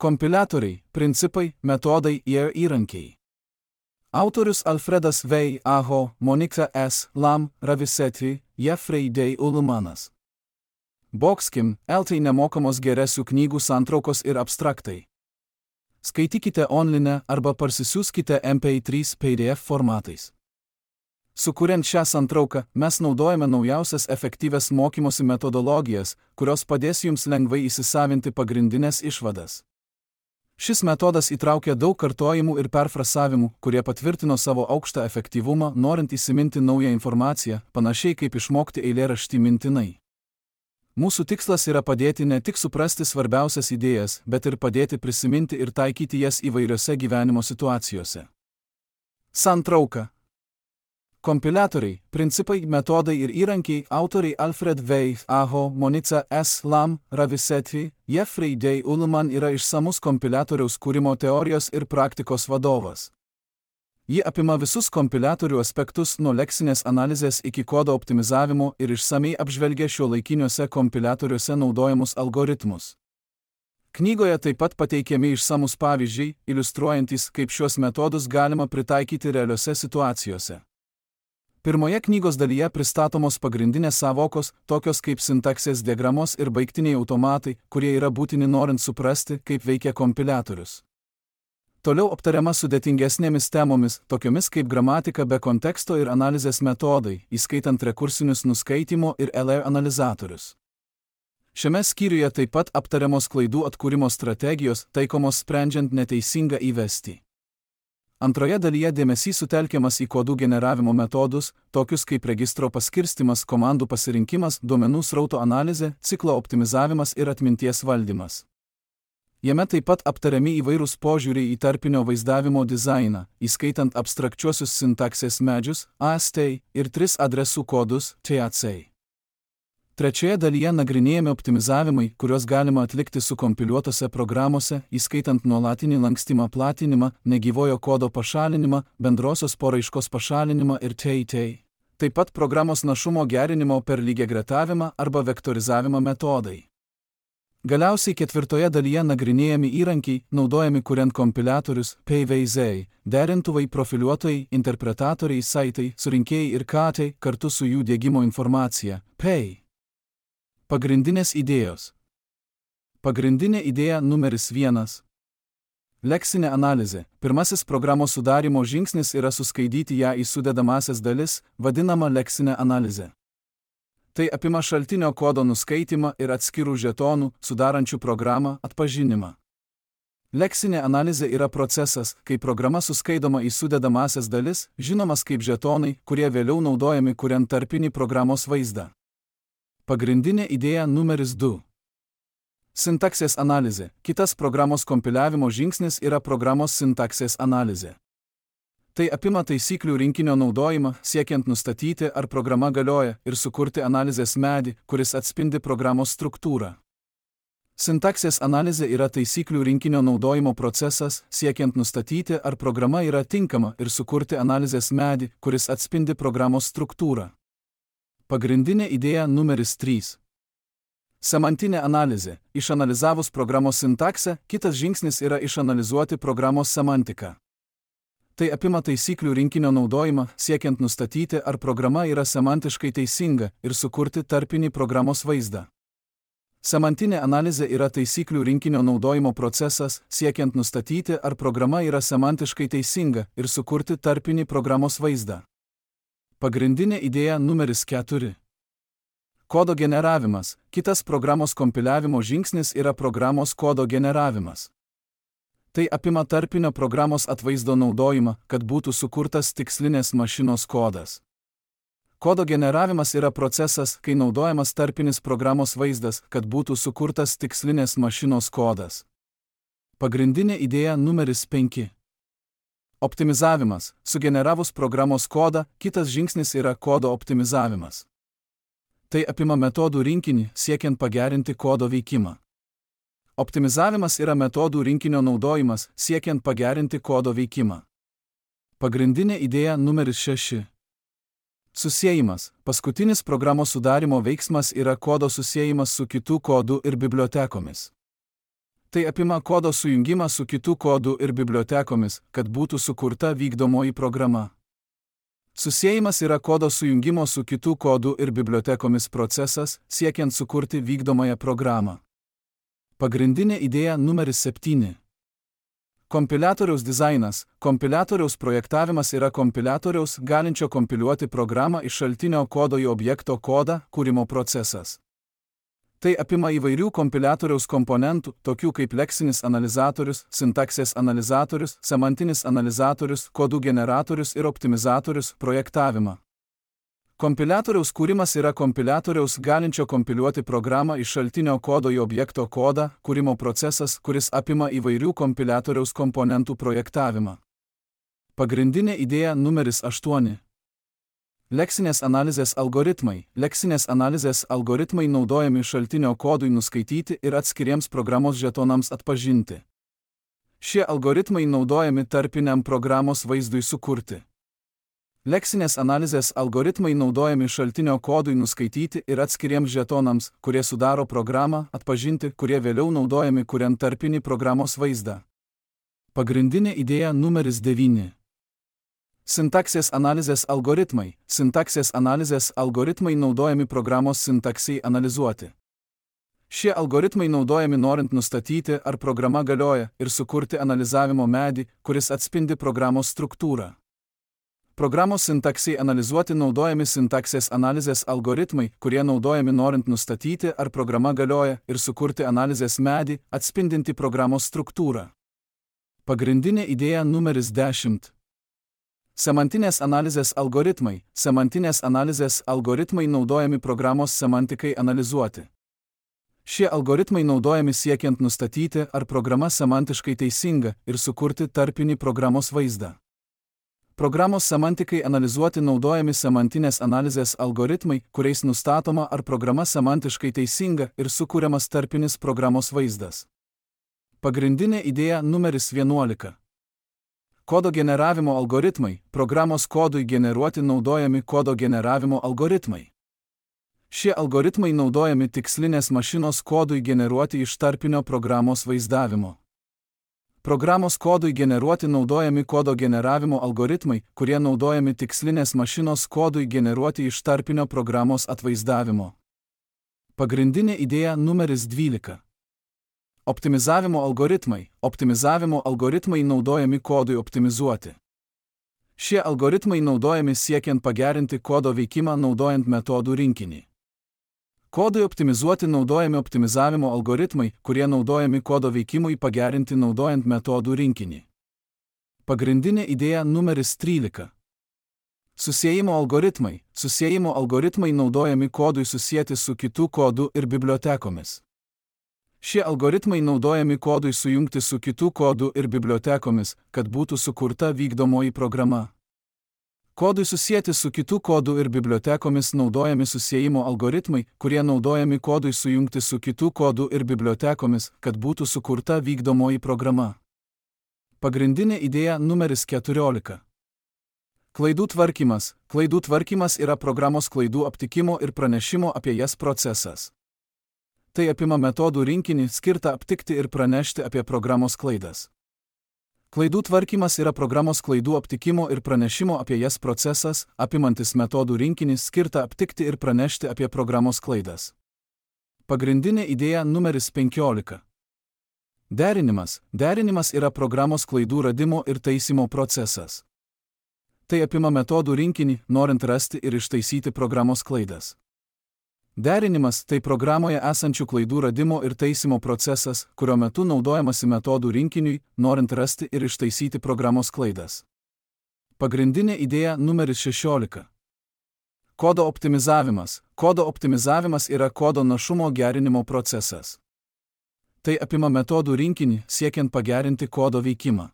Kompiliatoriai, principai, metodai ir įrankiai. Autorius Alfredas V. Aho, Monika S. Lam, Ravisetri, Jeffrey D. Ullmanas. Boxkim, LT nemokamos geresių knygų santraukos ir abstraktai. Skaitykite online arba parsisiųskite MP3 PDF formatais. Sukuriant šią santrauką, mes naudojame naujausias efektyvias mokymosi metodologijas, kurios padės jums lengvai įsisavinti pagrindinės išvadas. Šis metodas įtraukia daug kartojimų ir perfrasavimų, kurie patvirtino savo aukštą efektyvumą, norint įsiminti naują informaciją, panašiai kaip išmokti eilėraštį mintinai. Mūsų tikslas yra padėti ne tik suprasti svarbiausias idėjas, bet ir padėti prisiminti ir taikyti jas įvairiose gyvenimo situacijose. Santrauka. Kompiliatoriai, principai, metodai ir įrankiai. Autoriai Alfred V. Aho, Monica S. Lam, Ravisetri, Jeffrey D. Ullman yra išsamus kompiliatoriaus kūrimo teorijos ir praktikos vadovas. Ji apima visus kompiliatorių aspektus nuo leksinės analizės iki kodo optimizavimo ir išsamiai apžvelgia šiuolaikiniuose kompiliatoriuose naudojamus algoritmus. Knygoje taip pat pateikiami išsamus pavyzdžiai, iliustruojantys, kaip šiuos metodus galima pritaikyti realiose situacijose. Pirmoje knygos dalyje pristatomos pagrindinės savokos, tokios kaip sintaksės diagramos ir baigtiniai automatai, kurie yra būtini norint suprasti, kaip veikia kompiliatorius. Toliau aptariama sudėtingesnėmis temomis, tokiomis kaip gramatika be konteksto ir analizės metodai, įskaitant rekursinius nuskaitimo ir LR analizatorius. Šiame skyriuje taip pat aptariamos klaidų atkūrimo strategijos, taikomos sprendžiant neteisingą įvestį. Antroje dalyje dėmesys sutelkiamas į kodų generavimo metodus, tokius kaip registro paskirstimas, komandų pasirinkimas, duomenų srauto analizė, ciklo optimizavimas ir atminties valdymas. Jame taip pat aptariami įvairūs požiūriai į tarpinio vaizdavimo dizainą, įskaitant abstrakčiuosius sintaksės medžius, AST, ir 3 adresų kodus, TAC. Trečioje dalyje nagrinėjami optimizavimai, kuriuos galima atlikti sukompiliuotose programose, įskaitant nuolatinį lankstymą platinimą, negyvojo kodo pašalinimą, bendrosios poraiškos pašalinimą ir TAT. Taip pat programos našumo gerinimo per lygiagretavimą arba vektorizavimą metodai. Galiausiai ketvirtoje dalyje nagrinėjami įrankiai, naudojami kuriant kompiliatorius, PVZ, derintuvai, profiliuotojai, interpretatoriai, saitai, surinkėjai ir katai, kartu su jų diegimo informacija, PEI. Pagrindinės idėjos. Pagrindinė idėja numeris 1. Leksinė analizė. Pirmasis programos sudarymo žingsnis yra suskaidyti ją į sudedamąsias dalis, vadinama leksinė analizė. Tai apima šaltinio kodo nuskaitimą ir atskirų žetonų, sudarančių programą, atpažinimą. Leksinė analizė yra procesas, kai programa suskaidoma į sudedamąsias dalis, žinomas kaip žetonai, kurie vėliau naudojami kuriant tarpinį programos vaizdą. Pagrindinė idėja numeris 2. Sintaksės analizė. Kitas programos kompiliavimo žingsnis yra programos sintaksės analizė. Tai apima taisyklių rinkinio naudojimą, siekiant nustatyti, ar programa galioja, ir sukurti analizės medį, kuris atspindi programos struktūrą. Sintaksės analizė yra taisyklių rinkinio naudojimo procesas, siekiant nustatyti, ar programa yra tinkama, ir sukurti analizės medį, kuris atspindi programos struktūrą. Pagrindinė idėja numeris 3. Semantinė analizė. Išanalizavus programos sintaksę, kitas žingsnis yra išanalizuoti programos semantiką. Tai apima taisyklių rinkinio naudojimą, siekiant nustatyti, ar programa yra semantiškai teisinga, ir sukurti tarpinį programos vaizdą. Semantinė analizė yra taisyklių rinkinio naudojimo procesas, siekiant nustatyti, ar programa yra semantiškai teisinga, ir sukurti tarpinį programos vaizdą. Pagrindinė idėja numeris 4. Kodo generavimas. Kitas programos kompiliavimo žingsnis yra programos kodo generavimas. Tai apima tarpinio programos atvaizdo naudojimą, kad būtų sukurtas tikslinės mašinos kodas. Kodo generavimas yra procesas, kai naudojamas tarpinis programos vaizdas, kad būtų sukurtas tikslinės mašinos kodas. Pagrindinė idėja numeris 5. Optimizavimas. Sugeneravus programos kodą, kitas žingsnis yra kodo optimizavimas. Tai apima metodų rinkinį, siekiant pagerinti kodo veikimą. Optimizavimas yra metodų rinkinio naudojimas, siekiant pagerinti kodo veikimą. Pagrindinė idėja numeris 6. Susiejimas. Paskutinis programos sudarimo veiksmas yra kodo susiejimas su kitų kodų ir bibliotekomis. Tai apima kodo sujungimą su kitų kodų ir bibliotekomis, kad būtų sukurta vykdomoji programa. Susiejimas yra kodo sujungimo su kitų kodų ir bibliotekomis procesas, siekiant sukurti vykdomąją programą. Pagrindinė idėja numeris 7. Kompiliatoriaus dizainas. Kompiliatoriaus projektavimas yra kompiliatoriaus, galinčio kompiliuoti programą iš šaltinio kodo į objekto kodą, kūrimo procesas. Tai apima įvairių kompiliatoriaus komponentų, tokių kaip leksinis analizatorius, sintaksės analizatorius, semantinis analizatorius, kodų generatorius ir optimizatorius, projektavimą. Kompiliatoriaus kūrimas yra kompiliatoriaus galinčio kompiliuoti programą iš šaltinio kodo į objekto kodą, kūrimo procesas, kuris apima įvairių kompiliatoriaus komponentų projektavimą. Pagrindinė idėja numeris 8. Leksinės analizės algoritmai. Leksinės analizės algoritmai naudojami šaltinio kodui nuskaityti ir atskiriems programos žetonams atpažinti. Šie algoritmai naudojami tarpiniam programos vaizdui sukurti. Leksinės analizės algoritmai naudojami šaltinio kodui nuskaityti ir atskiriems žetonams, kurie sudaro programą, atpažinti, kurie vėliau naudojami kuriant tarpinį programos vaizdą. Pagrindinė idėja numeris 9. Sintaksės analizės algoritmai. Sintaksės analizės algoritmai naudojami programos sintaksei analizuoti. Šie algoritmai naudojami norint nustatyti, ar programa galioja, ir sukurti analizavimo medį, kuris atspindi programos struktūrą. Programos sintaksei analizuoti naudojami sintaksės analizės algoritmai, kurie naudojami norint nustatyti, ar programa galioja, ir sukurti analizės medį, atspindinti programos struktūrą. Pagrindinė idėja numeris 10. Semantinės analizės algoritmai. Semantinės analizės algoritmai naudojami programos semantikai analizuoti. Šie algoritmai naudojami siekiant nustatyti, ar programa semantiškai teisinga, ir sukurti tarpinį programos vaizdą. Programos semantikai analizuoti naudojami semantinės analizės algoritmai, kuriais nustatoma, ar programa semantiškai teisinga, ir sukūriamas tarpinis programos vaizdas. Pagrindinė idėja numeris 11. Kodo generavimo algoritmai. Programos kodui generuoti naudojami kodo generavimo algoritmai. Šie algoritmai naudojami tikslinės mašinos kodui generuoti iš tarpinio programos vaizdavimo. Programos kodui generuoti naudojami kodo generavimo algoritmai, kurie naudojami tikslinės mašinos kodui generuoti iš tarpinio programos atvaizdavimo. Pagrindinė idėja numeris 12. Optimizavimo algoritmai. Optimizavimo algoritmai naudojami kodui optimizuoti. Šie algoritmai naudojami siekiant pagerinti kodo veikimą naudojant metodų rinkinį. Kodui optimizuoti naudojami optimizavimo algoritmai, kurie naudojami kodo veikimui pagerinti naudojant metodų rinkinį. Pagrindinė idėja numeris 13. Susiejimo algoritmai. Susiejimo algoritmai naudojami kodui susieti su kitų kodų ir bibliotekomis. Šie algoritmai naudojami kodui sujungti su kitų kodų ir bibliotekomis, kad būtų sukurta vykdomoji programa. Kodui susieti su kitų kodų ir bibliotekomis naudojami susiejimo algoritmai, kurie naudojami kodui sujungti su kitų kodų ir bibliotekomis, kad būtų sukurta vykdomoji programa. Pagrindinė idėja numeris 14. Klaidų tvarkymas. Klaidų tvarkymas yra programos klaidų aptikimo ir pranešimo apie jas procesas. Tai apima metodų rinkinį skirtą aptikti ir pranešti apie programos klaidas. Klaidų tvarkymas yra programos klaidų aptikimo ir pranešimo apie jas procesas, apimantis metodų rinkinį skirtą aptikti ir pranešti apie programos klaidas. Pagrindinė idėja numeris 15. Derinimas. Derinimas yra programos klaidų radimo ir taisymo procesas. Tai apima metodų rinkinį, norint rasti ir ištaisyti programos klaidas. Derinimas – tai programoje esančių klaidų radimo ir taisymo procesas, kurio metu naudojamasi metodų rinkiniui, norint rasti ir ištaisyti programos klaidas. Pagrindinė idėja numeris 16. Kodo optimizavimas. Kodo optimizavimas yra kodo našumo gerinimo procesas. Tai apima metodų rinkinį, siekiant pagerinti kodo veikimą.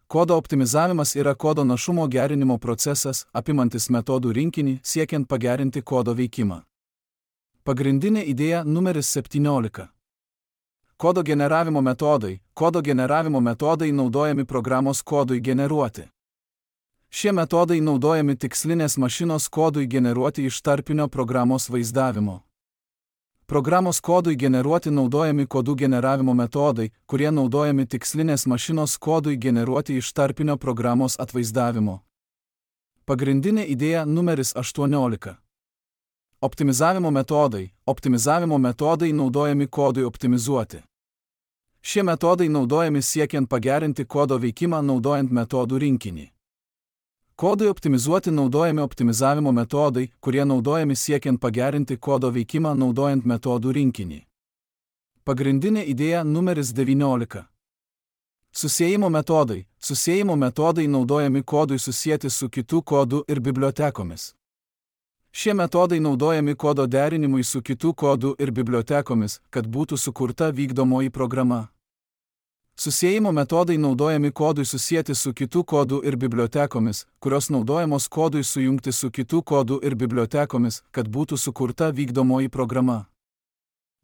Kodo optimizavimas yra kodo našumo gerinimo procesas, apimantis metodų rinkinį, siekiant pagerinti kodo veikimą. Pagrindinė idėja numeris 17. Kodo generavimo metodai. Kodo generavimo metodai naudojami programos kodui generuoti. Šie metodai naudojami tikslinės mašinos kodui generuoti iš tarpinio programos vaizdavimo. Programos kodui generuoti naudojami kodų generavimo metodai, kurie naudojami tikslinės mašinos kodui generuoti iš tarpinio programos atvaizdavimo. Pagrindinė idėja numeris 18. Optimizavimo metodai. Optimizavimo metodai naudojami kodui optimizuoti. Šie metodai naudojami siekiant pagerinti kodo veikimą naudojant metodų rinkinį. Kodui optimizuoti naudojami optimizavimo metodai, kurie naudojami siekiant pagerinti kodo veikimą naudojant metodų rinkinį. Pagrindinė idėja numeris 19. Susiejimo metodai. Susiejimo metodai naudojami kodui susijęti su kitų kodų ir bibliotekomis. Šie metodai naudojami kodo derinimui su kitų kodų ir bibliotekomis, kad būtų sukurta vykdomoji programa. Susiejimo metodai naudojami kodui susijęti su kitų kodų ir bibliotekomis, kurios naudojamos kodui sujungti su kitų kodų ir bibliotekomis, kad būtų sukurta vykdomoji programa.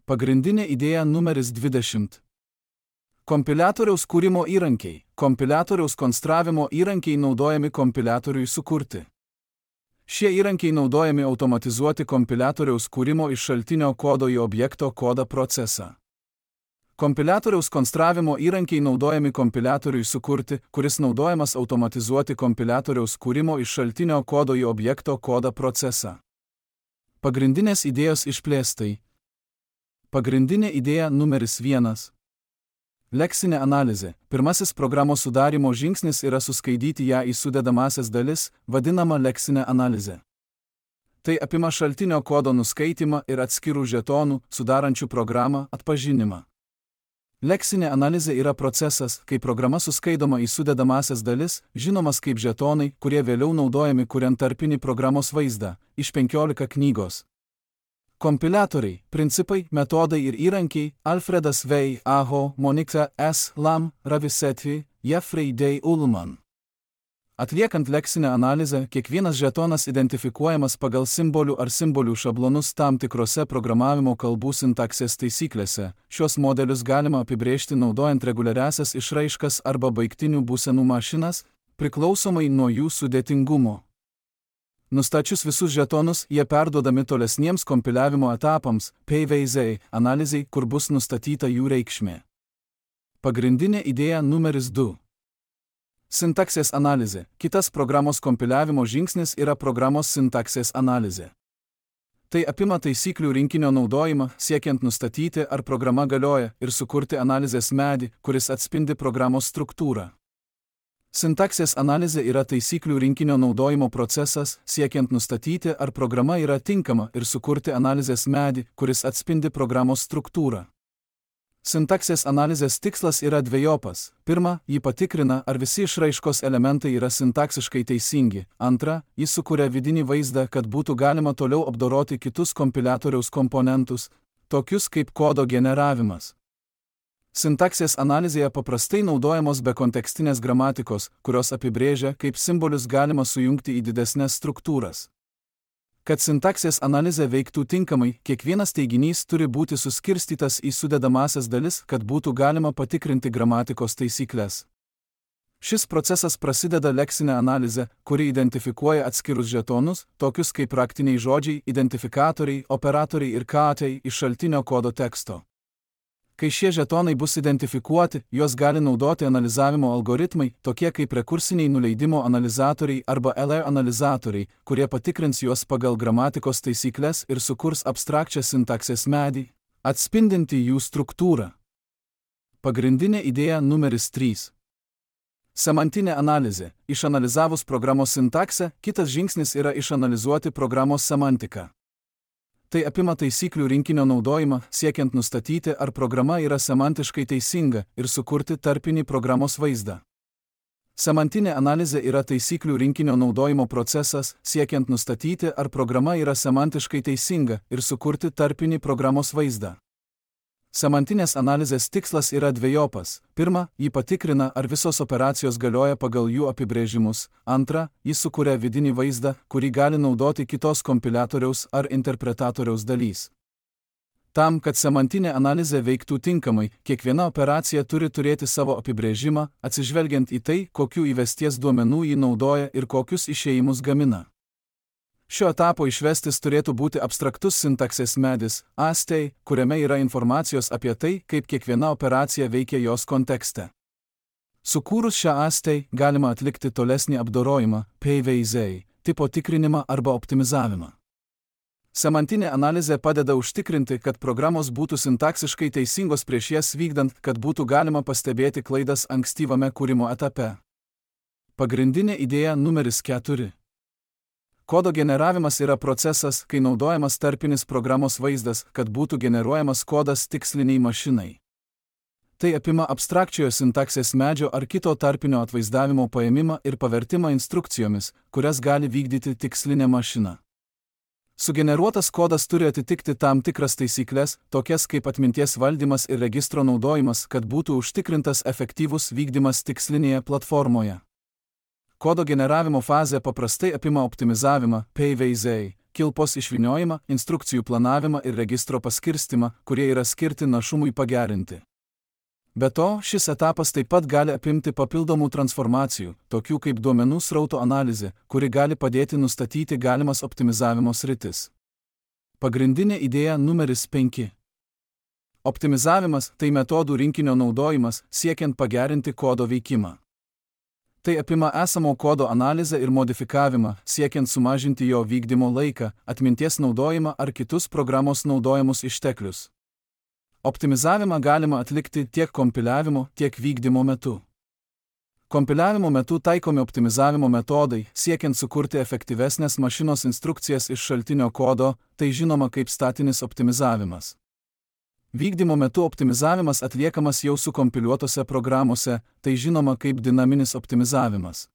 Pagrindinė idėja numeris 20. Kompiliatoriaus kūrimo įrankiai. Kompiliatoriaus konstravimo įrankiai naudojami kompiliatoriui sukurti. Šie įrankiai naudojami automatizuoti kompiliatoriaus kūrimo iš šaltinio kodo į objekto kodą procesą. Kompiliatoriaus konstravimo įrankiai naudojami kompiliatoriui sukurti, kuris naudojamas automatizuoti kompiliatoriaus kūrimo iš šaltinio kodo į objekto kodą procesą. Pagrindinės idėjos išplėstai. Pagrindinė idėja numeris 1. Leksinė analizė. Pirmasis programos sudarymo žingsnis yra suskaidyti ją į sudedamąsias dalis, vadinama leksinė analizė. Tai apima šaltinio kodo nuskaitymą ir atskirų žetonų, sudarančių programą, atpažinimą. Leksinė analizė yra procesas, kai programa suskaidoma į sudedamąsias dalis, žinomas kaip žetonai, kurie vėliau naudojami kuriant tarpinį programos vaizdą, iš 15 knygos. Kompiliatoriai, principai, metodai ir įrankiai – Alfredas V. Aho, Monika S. Lam, Ravisetti, Jeffrey D. Ullman. Atliekant leksinę analizę, kiekvienas žetonas identifikuojamas pagal simbolių ar simbolių šablonus tam tikrose programavimo kalbų sintaksės taisyklėse. Šios modelius galima apibrėžti naudojant reguliariasias išraiškas arba baigtinių būsenų mašinas, priklausomai nuo jų sudėtingumo. Nustačius visus žetonus, jie perduodami tolesniems kompiliavimo etapams, PVZ, analizei, kur bus nustatyta jų reikšmė. Pagrindinė idėja numeris 2. Sintaksės analizė. Kitas programos kompiliavimo žingsnis yra programos sintaksės analizė. Tai apima taisyklių rinkinio naudojimą, siekiant nustatyti, ar programa galioja, ir sukurti analizės medį, kuris atspindi programos struktūrą. Sintaksės analizė yra taisyklių rinkinio naudojimo procesas, siekiant nustatyti, ar programa yra tinkama, ir sukurti analizės medį, kuris atspindi programos struktūrą. Sintaksės analizės tikslas yra dvejopas. Pirma, ji patikrina, ar visi išraiškos elementai yra sintaksiškai teisingi. Antra, ji sukuria vidinį vaizdą, kad būtų galima toliau apdoroti kitus kompiliatoriaus komponentus, tokius kaip kodo generavimas. Sintaksės analizėje paprastai naudojamos bekontekstinės gramatikos, kurios apibrėžia, kaip simbolius galima sujungti į didesnes struktūras. Kad sintaksės analizė veiktų tinkamai, kiekvienas teiginys turi būti suskirstytas į sudedamąsias dalis, kad būtų galima patikrinti gramatikos taisyklės. Šis procesas prasideda leksinė analizė, kuri identifikuoja atskirus žetonus, tokius kaip raktiniai žodžiai, identifikatoriai, operatoriai ir katai iš šaltinio kodo teksto. Kai šie žetonai bus identifikuoti, juos gali naudoti analizavimo algoritmai, tokie kaip rekursiniai nuleidimo analizatoriai arba LR analizatoriai, kurie patikrins juos pagal gramatikos taisyklės ir sukurs abstrakčią sintaksės medį, atspindinti jų struktūrą. Pagrindinė idėja numeris 3. Semantinė analizė. Išanalizavus programos sintaksę, kitas žingsnis yra išanalizuoti programos semantiką. Tai apima taisyklių rinkinio naudojimą, siekiant nustatyti, ar programa yra semantiškai teisinga ir sukurti tarpinį programos vaizdą. Semantinė analizė yra taisyklių rinkinio naudojimo procesas, siekiant nustatyti, ar programa yra semantiškai teisinga ir sukurti tarpinį programos vaizdą. Semantinės analizės tikslas yra dvejopas. Pirma, ji patikrina, ar visos operacijos galioja pagal jų apibrėžimus. Antra, ji sukuria vidinį vaizdą, kurį gali naudoti kitos kompiliatoriaus ar interpretatoriaus dalys. Tam, kad semantinė analizė veiktų tinkamai, kiekviena operacija turi turėti savo apibrėžimą, atsižvelgiant į tai, kokių įvesties duomenų ji naudoja ir kokius išėjimus gamina. Šio etapo išvestis turėtų būti abstraktus sintaksės medis, ASTEI, kuriame yra informacijos apie tai, kaip kiekviena operacija veikia jos kontekste. Sukūrus šią ASTEI galima atlikti tolesnį apdorojimą, PVZ, tipo tikrinimą arba optimizavimą. Semantinė analizė padeda užtikrinti, kad programos būtų sintaksiškai teisingos prieš jas vykdant, kad būtų galima pastebėti klaidas ankstyvame kūrimo etape. Pagrindinė idėja numeris 4. Kodo generavimas yra procesas, kai naudojamas tarpinis programos vaizdas, kad būtų generuojamas kodas tiksliniai mašinai. Tai apima abstrakčiojo sintaksės medžio ar kito tarpinio atvaizdavimo paėmimą ir pavertimą instrukcijomis, kurias gali vykdyti tikslinė mašina. Sugeneruotas kodas turi atitikti tam tikras taisyklės, tokias kaip atminties valdymas ir registro naudojimas, kad būtų užtikrintas efektyvus vykdymas tikslinėje platformoje. Kodo generavimo fazė paprastai apima optimizavimą, PVZ, kilpos išvyniojimą, instrukcijų planavimą ir registro paskirstimą, kurie yra skirti našumui pagerinti. Be to, šis etapas taip pat gali apimti papildomų transformacijų, tokių kaip duomenų srauto analizė, kuri gali padėti nustatyti galimas optimizavimo sritis. Pagrindinė idėja numeris 5. Optimizavimas – tai metodų rinkinio naudojimas, siekiant pagerinti kodo veikimą. Tai apima esamo kodo analizę ir modifikavimą, siekiant sumažinti jo vykdymo laiką, atminties naudojimą ar kitus programos naudojamus išteklius. Optimizavimą galima atlikti tiek kompiliavimo, tiek vykdymo metu. Kompiliavimo metu taikomi optimizavimo metodai, siekiant sukurti efektyvesnės mašinos instrukcijas iš šaltinio kodo, tai žinoma kaip statinis optimizavimas. Vykdymo metu optimizavimas atliekamas jau sukompiliuotose programuose, tai žinoma kaip dinaminis optimizavimas.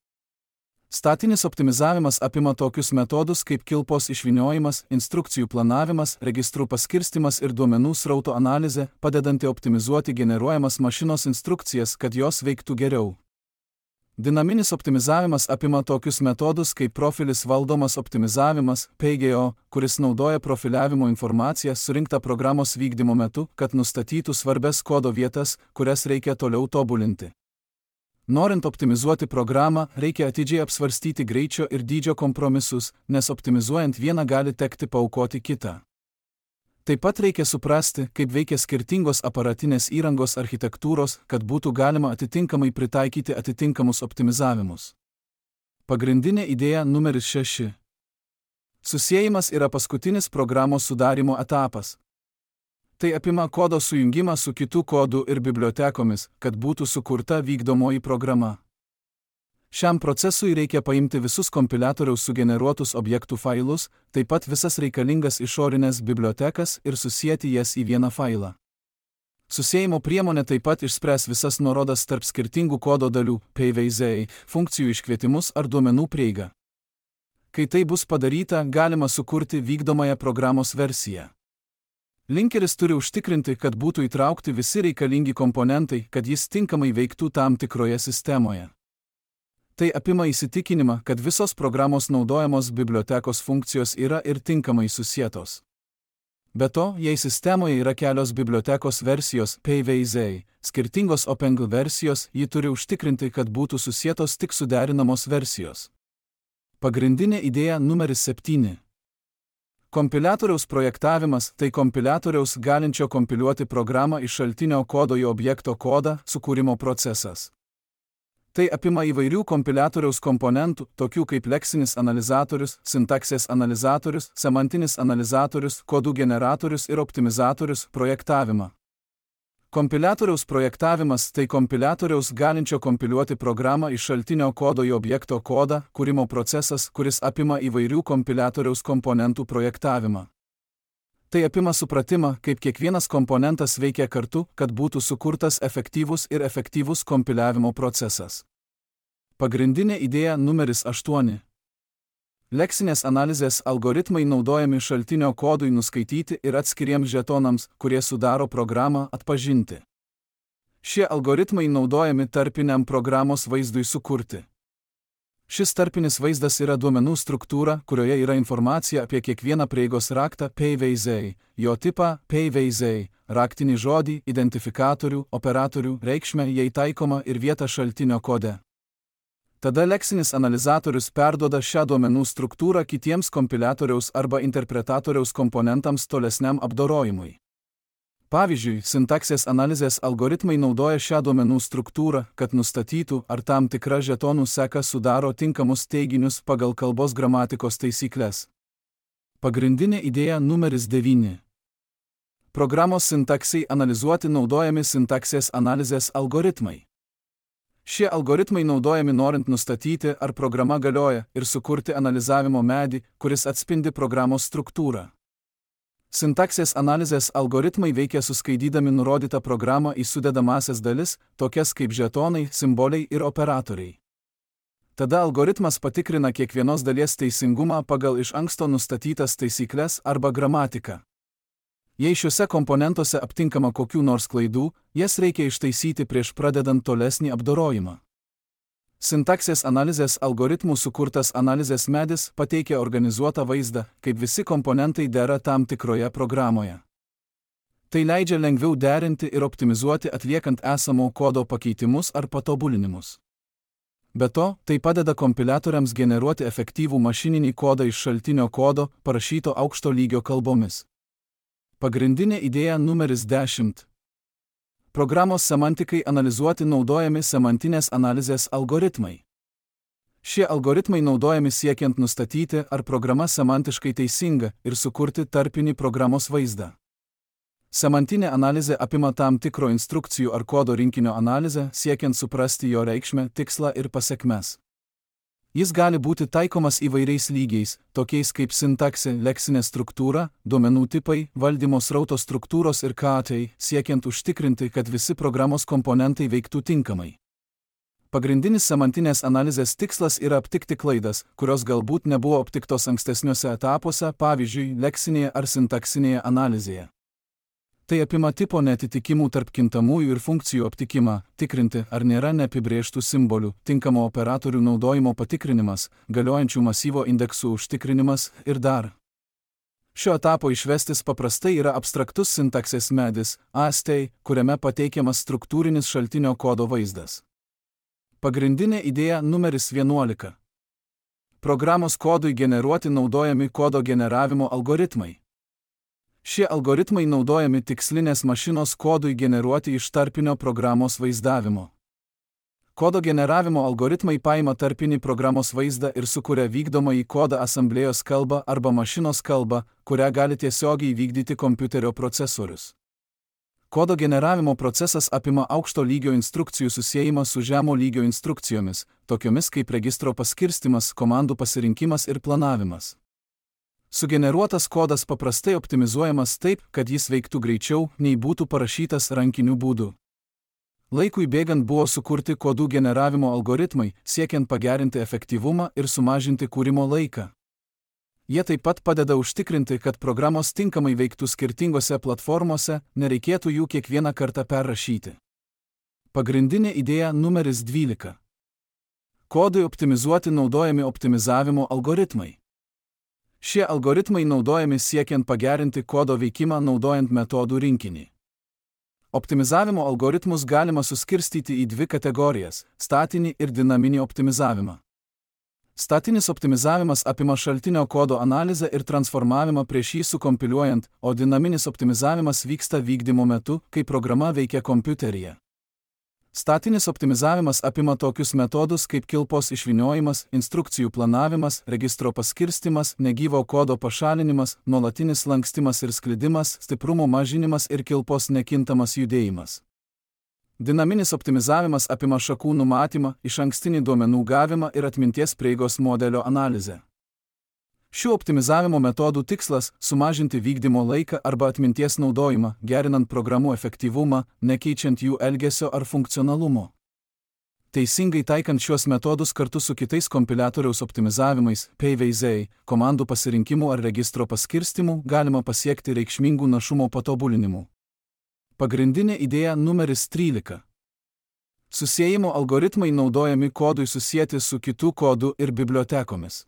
Statinis optimizavimas apima tokius metodus kaip kilpos išvyniojimas, instrukcijų planavimas, registrų paskirstimas ir duomenų srauto analizė, padedanti optimizuoti generuojamas mašinos instrukcijas, kad jos veiktų geriau. Dinaminis optimizavimas apima tokius metodus kaip profilis valdomas optimizavimas, PGO, kuris naudoja profiliavimo informaciją surinktą programos vykdymo metu, kad nustatytų svarbias kodo vietas, kurias reikia toliau tobulinti. Norint optimizuoti programą, reikia atidžiai apsvarstyti greičio ir dydžio kompromisus, nes optimizuojant vieną gali tekti paaukoti kitą. Taip pat reikia suprasti, kaip veikia skirtingos aparatinės įrangos architektūros, kad būtų galima atitinkamai pritaikyti atitinkamus optimizavimus. Pagrindinė idėja numeris 6. Susiejimas yra paskutinis programos sudarymo etapas. Tai apima kodo sujungimą su kitų kodų ir bibliotekomis, kad būtų sukurta vykdomoji programa. Šiam procesui reikia paimti visus kompiliatoriaus sugeneruotus objektų failus, taip pat visas reikalingas išorinės bibliotekas ir susieti jas į vieną failą. Susiejimo priemonė taip pat išspręs visas nuorodas tarp skirtingų kodo dalių, PVZ, funkcijų iškvietimus ar duomenų prieigą. Kai tai bus padaryta, galima sukurti vykdomąją programos versiją. Linkeris turi užtikrinti, kad būtų įtraukti visi reikalingi komponentai, kad jis tinkamai veiktų tam tikroje sistemoje. Tai apima įsitikinimą, kad visos programos naudojamos bibliotekos funkcijos yra ir tinkamai susietos. Be to, jei sistemoje yra kelios bibliotekos versijos, PVZ, skirtingos OpenGL versijos, ji turi užtikrinti, kad būtų susietos tik suderinamos versijos. Pagrindinė idėja numeris 7. Kompiliatoriaus projektavimas – tai kompiliatoriaus galinčio kompiliuoti programą iš šaltinio kodo į objekto kodą sukūrimo procesas. Tai apima įvairių kompiliatoriaus komponentų, tokių kaip leksinis analizatorius, sintaksės analizatorius, semantinis analizatorius, kodų generatorius ir optimizatorius projektavimą. Kompiliatoriaus projektavimas – tai kompiliatoriaus galinčio kompiliuoti programą iš šaltinio kodo į objekto kodą kūrimo procesas, kuris apima įvairių kompiliatoriaus komponentų projektavimą. Tai apima supratimą, kaip kiekvienas komponentas veikia kartu, kad būtų sukurtas efektyvus kompiliavimo procesas. Pagrindinė idėja numeris 8. Leksinės analizės algoritmai naudojami šaltinio kodui nuskaityti ir atskiriems žetonams, kurie sudaro programą, atpažinti. Šie algoritmai naudojami tarpiniam programos vaizdui sukurti. Šis tarpinis vaizdas yra duomenų struktūra, kurioje yra informacija apie kiekvieną prieigos raktą PVZ, jo tipą PVZ, raktinį žodį, identifikatorių, operatorių, reikšmę jei taikoma ir vietą šaltinio kode. Tada leksinis analizatorius perduoda šią duomenų struktūrą kitiems kompiliatoriaus arba interpretatoriaus komponentams tolesniam apdorojimui. Pavyzdžiui, sintaksės analizės algoritmai naudoja šią duomenų struktūrą, kad nustatytų, ar tam tikra žetonų seka sudaro tinkamus teiginius pagal kalbos gramatikos taisykles. Pagrindinė idėja numeris 9. Programos sintaksai analizuoti naudojami sintaksės analizės algoritmai. Šie algoritmai naudojami norint nustatyti, ar programa galioja, ir sukurti analizavimo medį, kuris atspindi programos struktūrą. Sintaksės analizės algoritmai veikia suskaidydami nurodytą programą į sudedamąsias dalis, tokias kaip žetonai, simboliai ir operatoriai. Tada algoritmas patikrina kiekvienos dalies teisingumą pagal iš anksto nustatytas taisykles arba gramatiką. Jei šiuose komponentuose aptinkama kokių nors klaidų, jas reikia ištaisyti prieš pradedant tolesnį apdorojimą. Sintaksės analizės algoritmų sukurtas analizės medis pateikia organizuotą vaizdą, kaip visi komponentai dera tam tikroje programoje. Tai leidžia lengviau derinti ir optimizuoti atliekant esamo kodo pakeitimus ar patobulinimus. Be to, tai padeda kompiliatoriams generuoti efektyvų mašininį kodą iš šaltinio kodo, parašyto aukšto lygio kalbomis. Pagrindinė idėja numeris 10. Programos semantikai analizuoti naudojami semantinės analizės algoritmai. Šie algoritmai naudojami siekiant nustatyti, ar programa semantiškai teisinga ir sukurti tarpinį programos vaizdą. Semantinė analizė apima tam tikro instrukcijų ar kodo rinkinio analizę, siekiant suprasti jo reikšmę, tikslą ir pasekmes. Jis gali būti taikomas įvairiais lygiais, tokiais kaip sintaksė, leksinė struktūra, duomenų tipai, valdymo srauto struktūros ir KATai, siekiant užtikrinti, kad visi programos komponentai veiktų tinkamai. Pagrindinis semantinės analizės tikslas yra aptikti klaidas, kurios galbūt nebuvo aptiktos ankstesniuose etapuose, pavyzdžiui, leksinėje ar sintaksinėje analizėje. Tai apima tipo neatitikimų tarp kintamųjų ir funkcijų aptikimą, tikrinti, ar nėra neapibrėžtų simbolių, tinkamo operatorių naudojimo patikrinimas, galiojančių masyvo indeksų užtikrinimas ir dar. Šio etapo išvestis paprastai yra abstraktus sintaksės medis, AST, kuriame pateikiamas struktūrinis šaltinio kodo vaizdas. Pagrindinė idėja numeris 11. Programos kodui generuoti naudojami kodo generavimo algoritmai. Šie algoritmai naudojami tikslinės mašinos kodui generuoti iš tarpinio programos vaizdavimo. Kodo generavimo algoritmai paima tarpinį programos vaizdą ir sukuria vykdomąjį kodą asamblėjos kalbą arba mašinos kalbą, kurią gali tiesiogiai vykdyti kompiuterio procesorius. Kodo generavimo procesas apima aukšto lygio instrukcijų susiejimą su žemo lygio instrukcijomis, tokiomis kaip registro paskirstimas, komandų pasirinkimas ir planavimas. Sugeneruotas kodas paprastai optimizuojamas taip, kad jis veiktų greičiau, nei būtų parašytas rankiniu būdu. Laikui bėgant buvo sukurti kodų generavimo algoritmai, siekiant pagerinti efektyvumą ir sumažinti kūrimo laiką. Jie taip pat padeda užtikrinti, kad programos tinkamai veiktų skirtingose platformose, nereikėtų jų kiekvieną kartą perrašyti. Pagrindinė idėja numeris 12. Kodui optimizuoti naudojami optimizavimo algoritmai. Šie algoritmai naudojami siekiant pagerinti kodo veikimą naudojant metodų rinkinį. Optimizavimo algoritmus galima suskirstyti į dvi kategorijas – statinį ir dinaminį optimizavimą. Statinis optimizavimas apima šaltinio kodo analizę ir transformavimą prieš jį sukompiliuojant, o dinaminis optimizavimas vyksta vykdymo metu, kai programa veikia kompiuteryje. Statinis optimizavimas apima tokius metodus kaip kilpos išvyniojimas, instrukcijų planavimas, registro paskirstimas, negyvo kodo pašalinimas, nuolatinis lankstimas ir sklidimas, stiprumo mažinimas ir kilpos nekintamas judėjimas. Dinaminis optimizavimas apima šakų numatymą, išankstinį duomenų gavimą ir atminties prieigos modelio analizę. Šių optimizavimo metodų tikslas – sumažinti vykdymo laiką arba atminties naudojimą, gerinant programų efektyvumą, nekeičiant jų elgesio ar funkcionalumo. Teisingai taikant šiuos metodus kartu su kitais kompiliatoriaus optimizavimais, PVZ, komandų pasirinkimu ar registro paskirstimu, galima pasiekti reikšmingų našumo patobulinimų. Pagrindinė idėja numeris 13. Susiejimo algoritmai naudojami kodui susieti su kitų kodų ir bibliotekomis.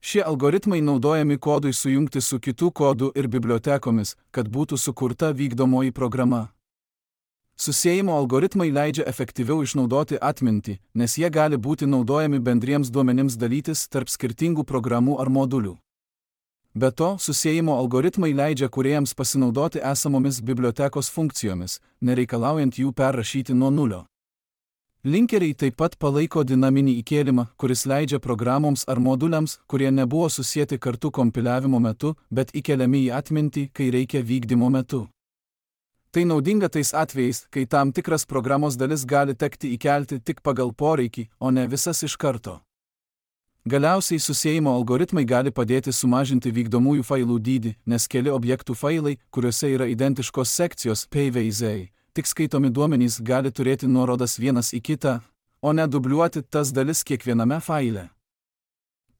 Šie algoritmai naudojami kodui sujungti su kitų kodų ir bibliotekomis, kad būtų sukurta vykdomoji programa. Susiejimo algoritmai leidžia efektyviau išnaudoti atmintį, nes jie gali būti naudojami bendriems duomenims dalytis tarp skirtingų programų ar modulių. Be to, susiejimo algoritmai leidžia kūrėjams pasinaudoti esamomis bibliotekos funkcijomis, nereikalaujant jų perrašyti nuo nulio. Linkeriai taip pat palaiko dinaminį įkėlimą, kuris leidžia programoms ar moduliams, kurie nebuvo susieti kartu kompiliavimo metu, bet įkeliami į atmintį, kai reikia vykdymo metu. Tai naudinga tais atvejais, kai tam tikras programos dalis gali tekti įkelti tik pagal poreikį, o ne visas iš karto. Galiausiai susiejimo algoritmai gali padėti sumažinti vykdomųjų failų dydį, nes keli objektų failai, kuriuose yra identiškos sekcijos PVZ, tik skaitomi duomenys gali turėti nuorodas vienas į kitą, o ne dubliuoti tas dalis kiekviename faile.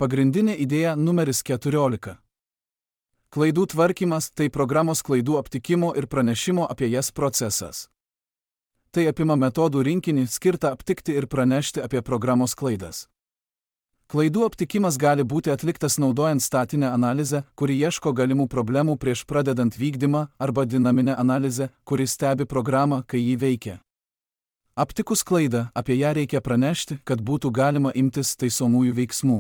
Pagrindinė idėja numeris 14. Klaidų tvarkymas – tai programos klaidų aptikimo ir pranešimo apie jas procesas. Tai apima metodų rinkinį skirtą aptikti ir pranešti apie programos klaidas. Klaidų aptikimas gali būti atliktas naudojant statinę analizę, kuri ieško galimų problemų prieš pradedant vykdymą, arba dinaminę analizę, kuri stebi programą, kai ji veikia. Aptikus klaidą, apie ją reikia pranešti, kad būtų galima imtis taisomųjų veiksmų.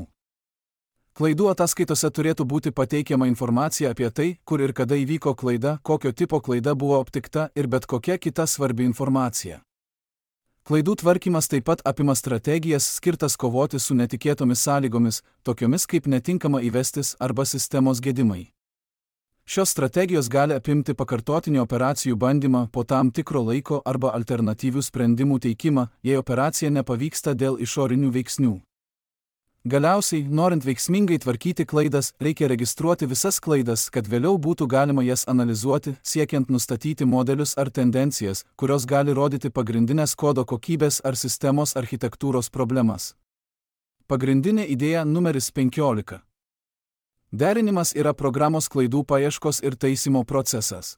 Klaidų ataskaitose turėtų būti pateikiama informacija apie tai, kur ir kada įvyko klaida, kokio tipo klaida buvo aptikta ir bet kokia kita svarbi informacija. Klaidų tvarkymas taip pat apima strategijas skirtas kovoti su netikėtomis sąlygomis, tokiomis kaip netinkama įvestis arba sistemos gedimai. Šios strategijos gali apimti pakartotinį operacijų bandymą po tam tikro laiko arba alternatyvių sprendimų teikimą, jei operacija nepavyksta dėl išorinių veiksnių. Galiausiai, norint veiksmingai tvarkyti klaidas, reikia registruoti visas klaidas, kad vėliau būtų galima jas analizuoti, siekiant nustatyti modelius ar tendencijas, kurios gali rodyti pagrindinės kodo kokybės ar sistemos architektūros problemas. Pagrindinė idėja numeris 15. Derinimas yra programos klaidų paieškos ir taisymo procesas.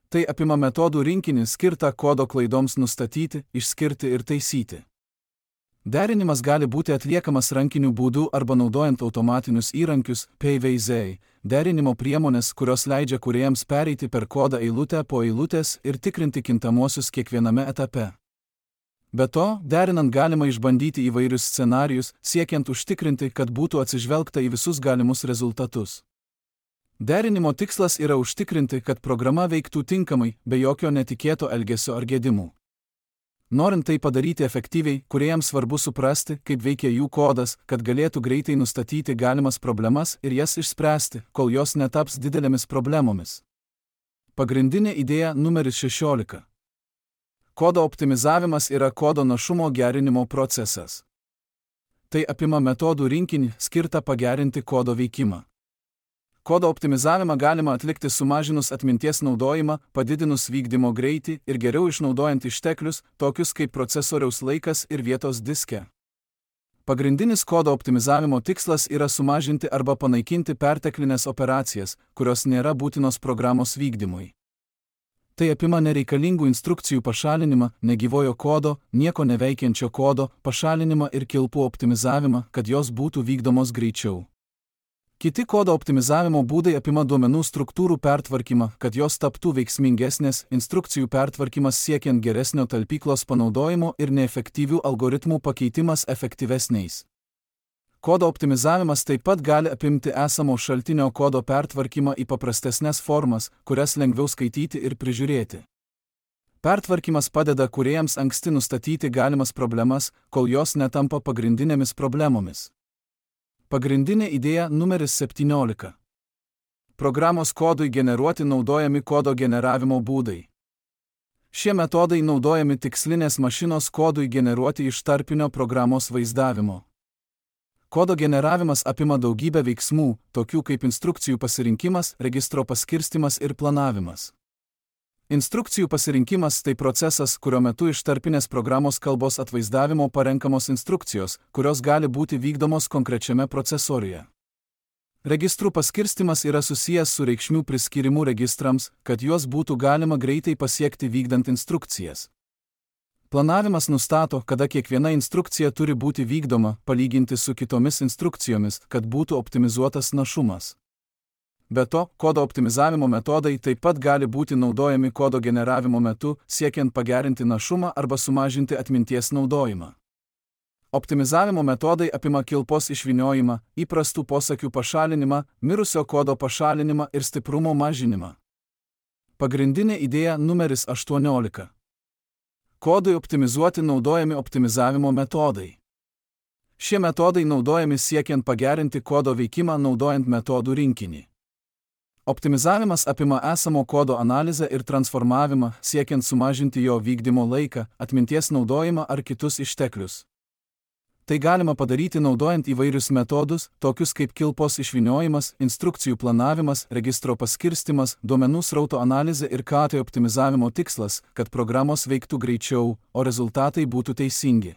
Tai apima metodų rinkinį skirtą kodo klaidoms nustatyti, išskirti ir taisyti. Derinimas gali būti atliekamas rankiniu būdu arba naudojant automatinius įrankius, PVZ, derinimo priemonės, kurios leidžia kūrėjams pereiti per kodą eilutę po eilutės ir tikrinti kintamuosius kiekviename etape. Be to, derinant galima išbandyti įvairius scenarijus, siekiant užtikrinti, kad būtų atsižvelgta į visus galimus rezultatus. Derinimo tikslas yra užtikrinti, kad programa veiktų tinkamai, be jokio netikėto elgesio ar gedimų. Norint tai padaryti efektyviai, kūrėjams svarbu suprasti, kaip veikia jų kodas, kad galėtų greitai nustatyti galimas problemas ir jas išspręsti, kol jos netaps didelėmis problemomis. Pagrindinė idėja numeris 16. Kodo optimizavimas yra kodo našumo gerinimo procesas. Tai apima metodų rinkinį skirtą pagerinti kodo veikimą. Kodo optimizavimą galima atlikti sumažinus atminties naudojimą, padidinus vykdymo greitį ir geriau išnaudojant išteklius, tokius kaip procesoriaus laikas ir vietos diske. Pagrindinis kodo optimizavimo tikslas yra sumažinti arba panaikinti perteklinės operacijas, kurios nėra būtinos programos vykdymui. Tai apima nereikalingų instrukcijų pašalinimą, negyvojo kodo, nieko neveikiančio kodo, pašalinimą ir kilpų optimizavimą, kad jos būtų vykdomos greičiau. Kiti kodo optimizavimo būdai apima duomenų struktūrų pertvarkymą, kad jos taptų veiksmingesnės, instrukcijų pertvarkymas siekiant geresnio talpyklos panaudojimo ir neefektyvių algoritmų pakeitimas efektyvesniais. Kodo optimizavimas taip pat gali apimti esamo šaltinio kodo pertvarkymą į paprastesnes formas, kurias lengviau skaityti ir prižiūrėti. Pertvarkymas padeda kūrėjams anksti nustatyti galimas problemas, kol jos netampa pagrindinėmis problemomis. Pagrindinė idėja numeris 17. Programos kodui generuoti naudojami kodo generavimo būdai. Šie metodai naudojami tikslinės mašinos kodui generuoti iš tarpinio programos vaizdavimo. Kodo generavimas apima daugybę veiksmų, tokių kaip instrukcijų pasirinkimas, registro paskirstymas ir planavimas. Instrukcijų pasirinkimas tai procesas, kurio metu iš tarpinės programos kalbos atvaizdavimo parenkamos instrukcijos, kurios gali būti vykdomos konkrečiame procesoriuje. Registrų paskirstymas yra susijęs su reikšmių priskyrimu registrams, kad juos būtų galima greitai pasiekti vykdant instrukcijas. Planavimas nustato, kada kiekviena instrukcija turi būti vykdoma, palyginti su kitomis instrukcijomis, kad būtų optimizuotas našumas. Be to, kodo optimizavimo metodai taip pat gali būti naudojami kodo generavimo metu, siekiant pagerinti našumą arba sumažinti atminties naudojimą. Optimizavimo metodai apima kilpos išvyniojimą, įprastų posakių pašalinimą, mirusio kodo pašalinimą ir stiprumo mažinimą. Pagrindinė idėja numeris 18. Kodui optimizuoti naudojami optimizavimo metodai. Šie metodai naudojami siekiant pagerinti kodo veikimą naudojant metodų rinkinį. Optimizavimas apima esamo kodo analizę ir transformavimą, siekiant sumažinti jo vykdymo laiką, atminties naudojimą ar kitus išteklius. Tai galima padaryti naudojant įvairius metodus, tokius kaip kilpos išvyniojimas, instrukcijų planavimas, registro paskirstimas, duomenų srauto analizė ir KT optimizavimo tikslas, kad programos veiktų greičiau, o rezultatai būtų teisingi.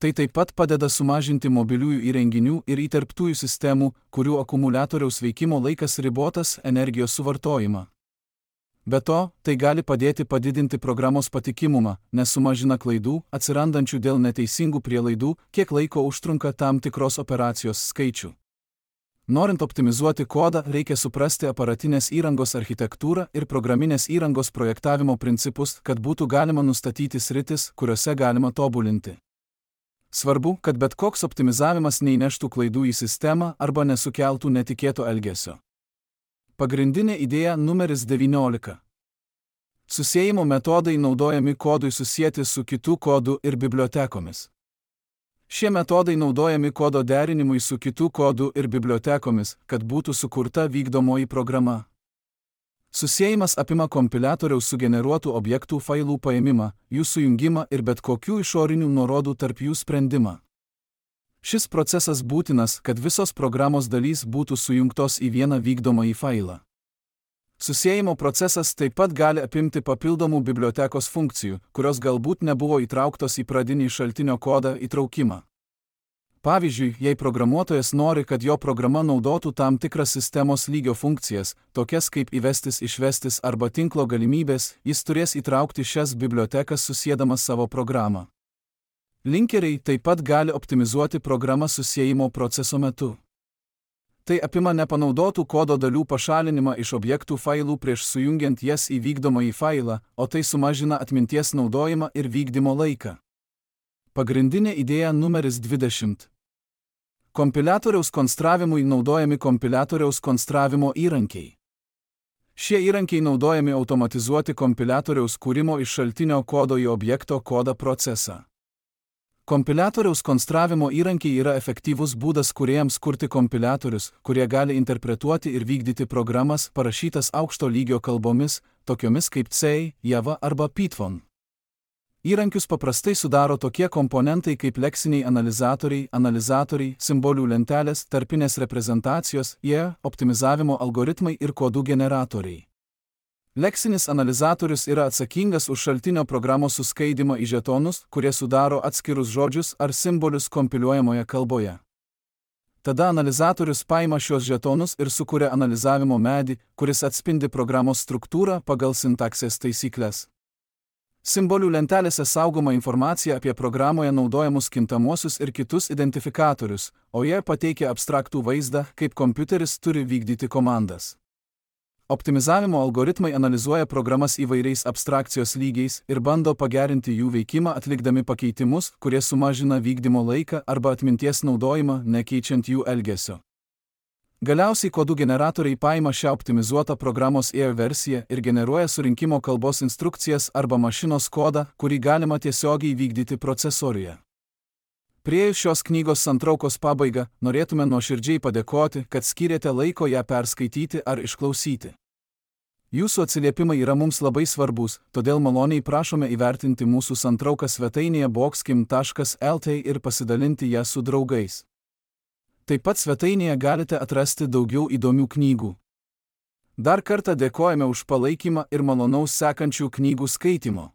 Tai taip pat padeda sumažinti mobiliųjų įrenginių ir įterptųjų sistemų, kurių akumuliatoriaus veikimo laikas ribotas, energijos suvartojimą. Be to, tai gali padėti padidinti programos patikimumą, nes sumažina klaidų, atsirandančių dėl neteisingų prielaidų, kiek laiko užtrunka tam tikros operacijos skaičių. Norint optimizuoti kodą, reikia suprasti aparatinės įrangos architektūrą ir programinės įrangos projektavimo principus, kad būtų galima nustatyti sritis, kuriuose galima tobulinti. Svarbu, kad bet koks optimizavimas neįneštų klaidų į sistemą arba nesukeltų netikėto elgesio. Pagrindinė idėja numeris 19. Susiejimo metodai naudojami kodui susieti su kitų kodų ir bibliotekomis. Šie metodai naudojami kodo derinimui su kitų kodų ir bibliotekomis, kad būtų sukurta vykdomoji programa. Susiejimas apima kompiliatoriaus sugeneruotų objektų failų paėmimą, jų sujungimą ir bet kokių išorinių nuorodų tarp jų sprendimą. Šis procesas būtinas, kad visos programos dalys būtų sujungtos į vieną vykdomąjį failą. Susiejimo procesas taip pat gali apimti papildomų bibliotekos funkcijų, kurios galbūt nebuvo įtrauktos į pradinį šaltinio kodą įtraukimą. Pavyzdžiui, jei programuotojas nori, kad jo programa naudotų tam tikras sistemos lygio funkcijas, tokias kaip įvestis, išvestis arba tinklo galimybės, jis turės įtraukti šias bibliotekas susiedamas savo programą. Linkeriai taip pat gali optimizuoti programą susiejimo proceso metu. Tai apima nepanaudotų kodo dalių pašalinimą iš objektų failų prieš sujungiant jas į vykdomąjį failą, o tai sumažina atminties naudojimą ir vykdymo laiką. Pagrindinė idėja numeris 20. Kompiliatoriaus konstravimui naudojami kompiliatoriaus konstravimo įrankiai. Šie įrankiai naudojami automatizuoti kompiliatoriaus kūrimo iš šaltinio kodo į objekto kodą procesą. Kompiliatoriaus konstravimo įrankiai yra efektyvus būdas kūrėjams kurti kompiliatorius, kurie gali interpretuoti ir vykdyti programas parašytas aukšto lygio kalbomis, tokiomis kaip C, Java arba Python. Įrankius paprastai sudaro tokie komponentai kaip leksiniai analizatoriai, simbolių lentelės, tarpinės reprezentacijos, optimizavimo algoritmai ir kodų generatoriai. Leksinis analizatorius yra atsakingas už šaltinio programos suskaidymą į žetonus, kurie sudaro atskirus žodžius ar simbolius kompiliuojamoje kalboje. Tada analizatorius paima šios žetonus ir sukuria analizavimo medį, kuris atspindi programos struktūrą pagal sintaksės taisykles. Simbolių lentelėse saugoma informacija apie programoje naudojamus kintamuosius ir kitus identifikatorius, o jie pateikia abstraktų vaizdą, kaip kompiuteris turi vykdyti komandas. Optimizavimo algoritmai analizuoja programas įvairiais abstrakcijos lygiais ir bando pagerinti jų veikimą atlikdami pakeitimus, kurie sumažina vykdymo laiką arba atminties naudojimą, nekeičiant jų elgesio. Galiausiai kodų generatoriai paima šią optimizuotą programos versiją ir generuoja surinkimo kalbos instrukcijas arba mašinos kodą, kurį galima tiesiogiai vykdyti procesoriuje. Priėjus šios knygos santraukos pabaigą, norėtume nuoširdžiai padėkoti, kad skyrėte laiko ją perskaityti ar išklausyti. Jūsų atsiliepimai yra mums labai svarbus, todėl maloniai prašome įvertinti mūsų santrauką svetainėje boxkim.lt ir pasidalinti ją su draugais. Taip pat svetainėje galite atrasti daugiau įdomių knygų. Dar kartą dėkojame už palaikymą ir malonaus sekančių knygų skaitimo.